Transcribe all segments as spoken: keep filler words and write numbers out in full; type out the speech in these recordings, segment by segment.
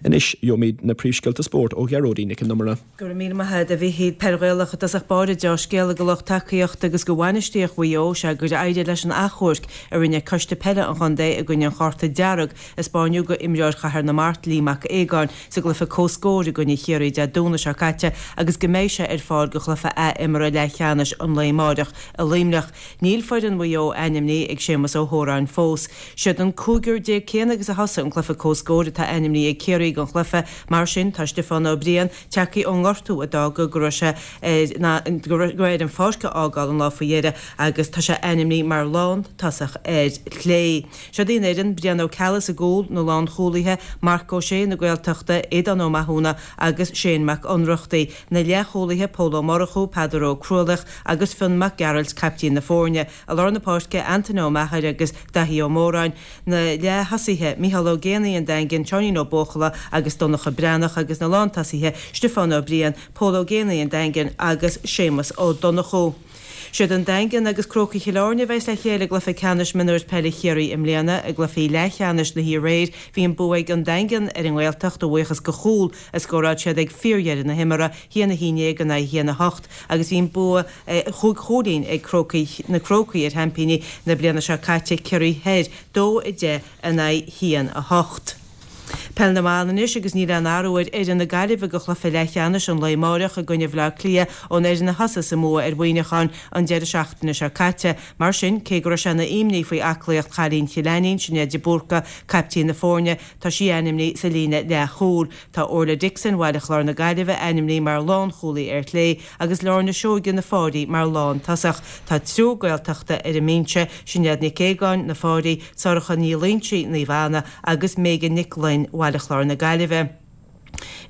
Anois gheobhaimid na príomhscéalta spóirt ó Ghearóidín Nic an Iomaire. Go raibh míle maith agat a Mhichíl. Peil Ghaelach i dtosach báire dea-scéala do lucht tacaíochta agus do bhainistíocht Mhaigh Eo is ea gur éirigh leis an achomharc a rinne Coiste Peile an Chontae i gcoinne an chárta dearg a spáineadh go imreoir Chathair na Mart Lee Mac Aogáin sa gcluiche comhscóir i gcoinne Chiarraí Dé Domhnaigh seo caite agus go mbeidh sé ar fáil go chluiche athimeartha leathcheannais an lae amárach i Luimneach. Níl foireann Mhaigh Eo ainmnithe ag Séamus Ó hÓráin fós. Siad an cúigear déag céanna agus a thosaigh an cluiche comhscóir atá ainmnithe ag Ciarraí don chluiche, mar sin tá Stiofán Ó Briain tagtha ón ngortú a d'fhág go raibh sé ar go raibh air an pháirc a fhágáil an lá faoi dheireadh agus tá sé ainmnithe mar lántosach ar chlé. Siod í an fhoireann, Brian Ó Ceallaigh sa gcúl, na lánchúlaithe, Marc Ó Sé na Gaeltachta, Aodán Ó Mathúna agus Shane Mac Ionnrachtaigh, na leathchúlaithe, Pól Ó Murchú, Peadar Ó Crualaoich agus Fionn Mac Gearailt, caiptín na foirne, i lár na páirce, Antaine Ó Meachair agus Daithí Ó Móráin, na leath-thosaithe, Micheál Ó Géanaigh an Daingin, Seáinín Ó Buachalla agus Donncha Breathnach agus na lántosaithe, Stiofán Ó Briain, Pól Ó Géanaigh an Daingin agus Séamus Ó Donnchú. Siad an Daingean agus Crócaigh Chill Airne a bheas le chéile i gcluiche ceannais mionúir peile Chiarraí i mbliana. I gcluichí leathcheannais na hoíche aréir, bhí an bua ag an Daingean ar an nGaeltacht a bhuíochas go chúl a scóráil siad ag fíordheireadh na himeartha, a haon a haon déag in aghaidh a haon a hocht, agus bhí an bua chúig chúilín ag Crócaigh na Crócaigh ar sheaimpíní na bliana seo caite, Ciarraí Thoir, dó a deich in aghaidh a haon a hocht. Peil na mBan anois agus níl aon athrú ar fhoireann na Gaillimhe do chluiche leathcheannais an lae amáireach i gcoinne Bhaile Átha Cliath ón fhoireann a thosaigh sa mbua ar Mhuineachán an deireadh seachtaine seo caite. Mar sin, cé go raibh sé ina imní faoi aclaíocht chailín Chill Ainnín, Sinéad de Búrca, caiptín na foirne, tá sí ainmnithe sa líne leathchúil. Tá Orla Dixon Bhaile Chláir na Gaillimhe ainmnithe mar lánchúlaí ar chlé agus Lorna Seoige na Fáirí mar lántosach. Tá triúr Gaeltachta ar an mbinse, Sinéad Nic Aogáin, Na Fáirí, Sorcha Ní Loingsigh, Naomh Anna, agus Megan Nic Gloinn, Bhaile Chláir na Gaillimhe.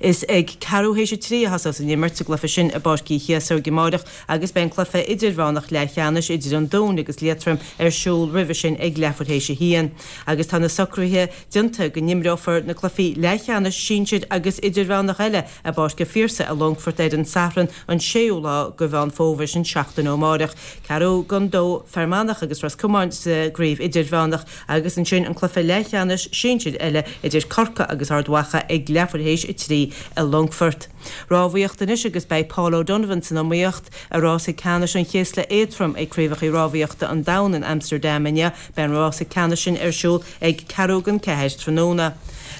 Is ag ceathrú théis a trí a thosós an imirt sa gcluiche sin i bPáirc Uí Chéasóig amáireach agus beidh an cluiche idirmheánach leathcheannais idir an Dún agus Liatroim ar siúl roimhe sin ag leathuair théis a haon. Agus tá na socruithe déanta go n-imreofar na cluichí leathcheannais sinsir agus idirmheánach eile i bPáirc an Phiarsaigh i Longfort ar an Satharn an séú lá de Mheán Fómhair, sin seachtain ó amáireach. Ceathrú don dó Fear Manach agus Ros Comáin sa gcraobh idirmheánach agus ansin an cluiche leathcheannais sinsir eile idir Corcaigh agus Ard Mhacha ag leathuair théis a trí i Longfort. Rámhaíocht anois agus beidh Paul O'Donovan san iomaíocht i rása ceannais an chéasla éadtrom ag Craobhacha Rámhaíochta an Domhain in Amsterdam inniu. Beidh an rása ceannais sin ar siúl ag ceathrú don ceathair tráthnóna.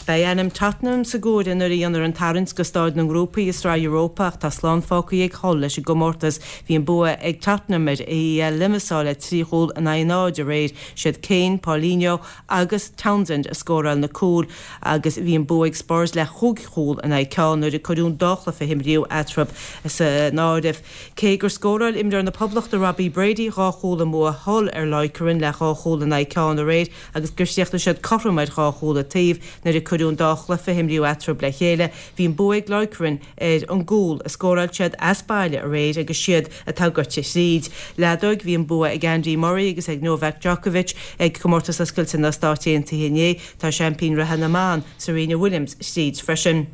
Beidh ainm Tottenham sa gcomhaireamh nuair a dhéanfar an tarraingt go staid na ngrúpaí i Sraith Europa ach tá slán fágtha ag Hull leis an gcomórtas. Bhí an bua ag Tottenham ar AEL Limassol le trí chúl in aghaidh a náid aréir. Siad Kane, Paulinho agus Townsend a scóráil na cúil agus bhí an bua ag Spurs le chúig chúl in aghaidh ceann nuair a cuireadh an dá chluiche a imríodh eatarthu san áireamh. Cé gur scóráil imreoir na Poblachta Robbie Brady dhá chúl i mbua Hull ar Lokeren le dhá chúl in aghaidh ceann aréir agus gur chríochnaigh siad cothrom ar dhá chúl an taobh nuair a cuireadh an dá chluiche a imríodh eatarthu le chéile, bhí an bua ag Lokeren ar an gcúl a scóráil siad as baile aréir agus siad atá gaibhte thríd. Leadóg, bhí an bua ag Andy Murray agus ag Novak Djokovic ag Comórtas Oscailte na Stát Aontaithe inné. Tá seaimpín reatha na mban, Serena Williams, tríd freisin.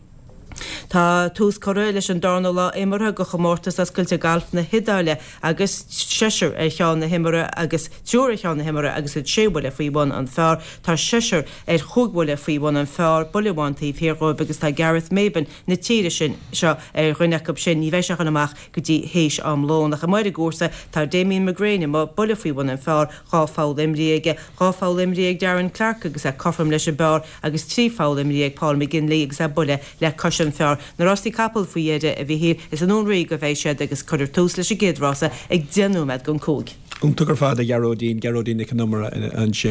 Tá tús curtha leis an darna lá imeartha de Chomórtas Oscailte Gailf na hIodáile agus seisear ar cheann na himeartha agus triúr ar cheann na himeartha agus iad sé bhuille faoi bhun an phar. Tá seisear ar chúig bhuille faoi bhun an phar, buille amháin taobh thiar dhóibh agus tá Gareth Maybin na tíre sin seo ar dhuine acu sin. Ní bheidh sé a dhul amach go dtí théis am lóin. Ach amuigh ar an gcúrsa tá Damien McGrane amuigh, buille faoi bhun an phar, dhá pholl imrithe aige, dhá pholl imrithe ag Darren Clarke agus é cothrom leis an bpar agus trí pholl imrithe ag Paul McGinley agus é buille le cois an phar. Na rásaí capall faoi dheireadh, a Mhichíl, is i nDún Ríoga a bheidh siad agus cuirfear tús leis an gcéad rása ag deich nóiméad don cúig. Iontach ar fad, a Ghearóidín, Gearóidín Nic an Iomaire ansin.